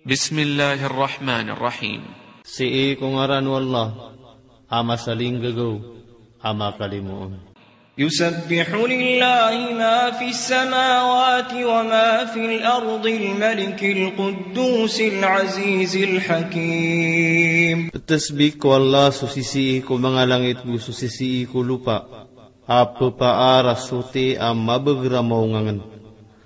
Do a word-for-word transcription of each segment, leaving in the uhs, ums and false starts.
Bismillahir Rahmanir Rahim. Sii ko ngaran o Allah, a masalinggagaw, a makalimoon. يسبح لله ما في السماوات وما في الأرض الملك القدوس العزيز الحكيم. Ptasbih ko Allah so sisii ko manga langit go so sisii ko lopa, a ppaar a soti a mabager a maongangen.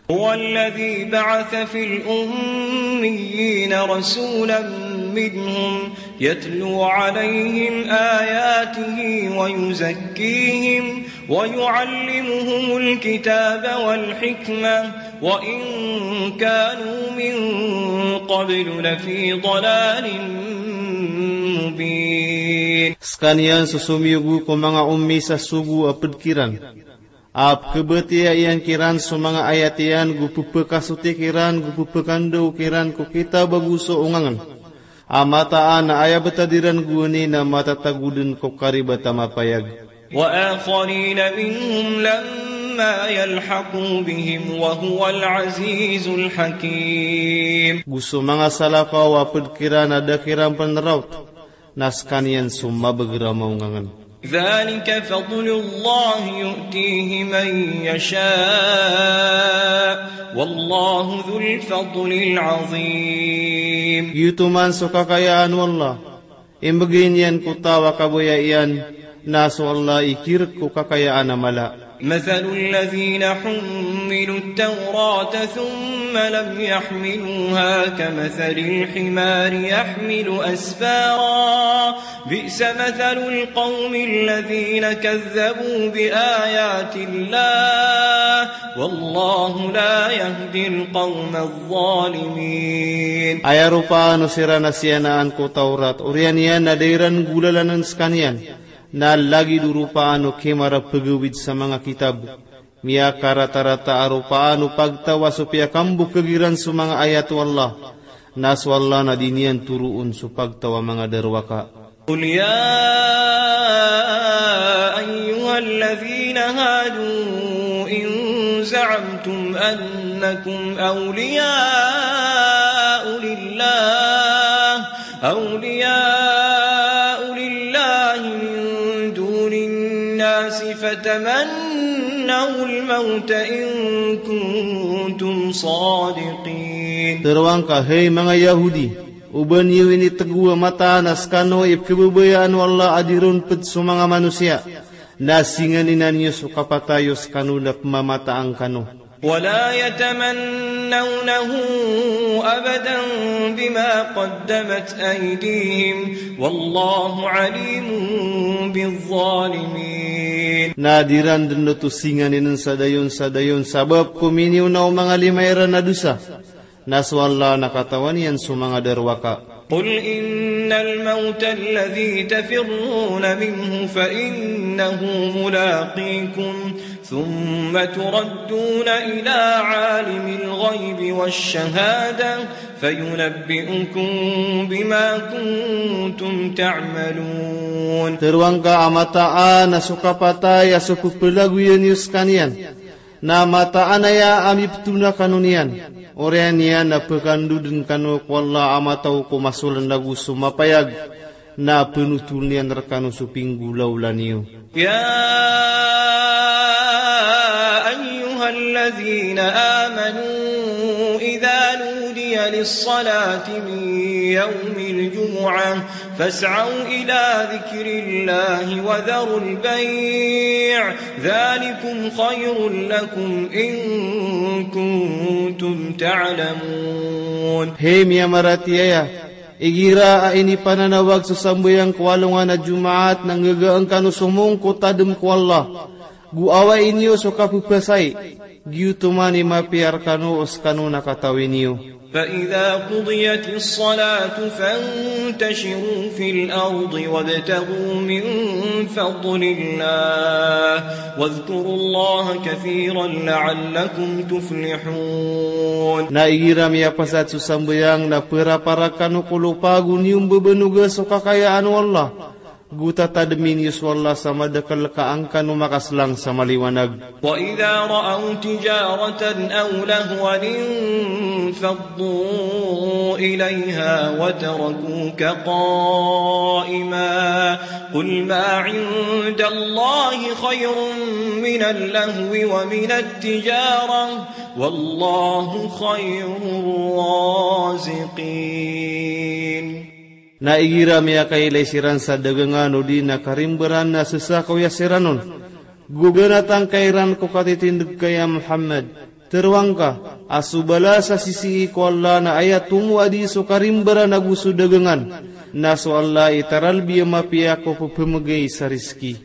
هو الذي بعث في الأميين رسولا منهم يتلو عليهم آياته ويزكيهم ويعلمهم الكتاب والحكمة وإن كانوا من قبل لفي ضلال مبين. Skaniyan so somiyogo ko manga ommi sa sogo a ped kiran, a pkhabatiya iyan kiran so manga ayat iyan, go pphakasoti kiran, go pphakandaw kiran ko kitab ago so ongangen. A mataan a aya btad iran gowani na matatago den ko karibat a mapayag. وآخرين منهم لما يلحقوا بهم وهو العزيز الحكيم. Go so manga salakaw a ped kiran a da kiran pnraot, na skaniyan so mabager a maongangen. ذلك فضل الله يؤتيه من يشاء والله ذو الفضل العظيم. Giyoto man so kakayaan o Allah, imbgay niyan ko taw a kabaya iyan, na so Allah i kirk ko kakayaan a mala. مثل الذين حملوا التوراة ثم لم يحملوها كمثل الحمار يحمل أسفارا بئس مثل القوم الذين كذبوا بآيات الله والله لا يهدي القوم الظالمين. Aya ropaan o siran a siyanaan ko Tawrat, oriyan iyan na da iran golalanen skaniyan, na lagid o ropaan o kimar a pegawid sa manga kitab. Miyakaratarata a ropaan o pagtaw a so piyakambokeg iran so manga ayat o Allah, na so Allah na di niyan toroon so pagtaw a manga darowaka. قل يا أيها الذين هادوا إن زعمتم أنكم أولياء لله أولياء لله من دون الناس فتمنوا الموت إن كنتم صادقين. Tero angka, hay manga Yahudi, o ba niyo initego a mataan a skano i pkhababayaan o Allah a di ron ped so manga manosiya, na singaninan iyo so kapatay o skano na pmamataan kano. ولا يتمنونه أبدا بما قدمت أيديهم والله عليم بالظالمين. Na di ran den oto singaninen sa dayon sa dayon sabap ko miniona o manga lima iran a dosa. Na so Allah na katawan iyan so manga darowaka. قل إن الموت الذي تفرون منه فإنه ملاقيكم ثم تردون إلى عالم الغيب والشهادة فينبئكم بما كنتم تعملون. Tero angka a mataan a so kapatay a so pepelagoyan iyo skaniyan, na mataan aya a mipetona kano niyan. Oriyan iyan na pekandoden kano ko Allah a mataw ko masolan ago so mapayag, na penotol iyan rekano so pinggolawla niyo. يا أيها الذين آمنوا إذا نودي للصلاة من يوم الجمعة فاسعوا إلى ذكر الله وذروا البيع ذلكم خير لكم إن كنتم تعلمون. Hay miyamaratiyaya, igira a inipananawag so sambayang ko alongan a Jumaat na nggagaan kano somong ko tadem ko Allah, go awain iyo so kapepasai, giyoto man i mapiya rekano o skano na katawi niyo. فإذا قضيت الصلاة فانتشروا في الأرض وابتغوا من فضل الله واذكروا الله كثيرا لعلكم تفلحون. Na igira miyapasad so sambayang na perapara kano ko lopa go niyo mbebenoga so kakayaan o Allah. Go tatadmin iyo so Allah sa madakel ka angkano makaslang sa maliwanag. وإذا رأوا تجارة أو لهوا انفضوا إليها وتركوك قائما. قل ما عند الله خير من اللهو ومن التجارة والله خير الرازقين. Na igira miyakailay siran sa dagangan odi na karimbaran na sesakaw iyan siran on, go ganatan ka iran ko katitindeg ka ya Muhammad. Teroang ka a so balas a sisii ko Allah na aya tomo a di so karimbaran ago so dagangan, na so Allah i taralbi a mapiya ko pepemegay sa rizki.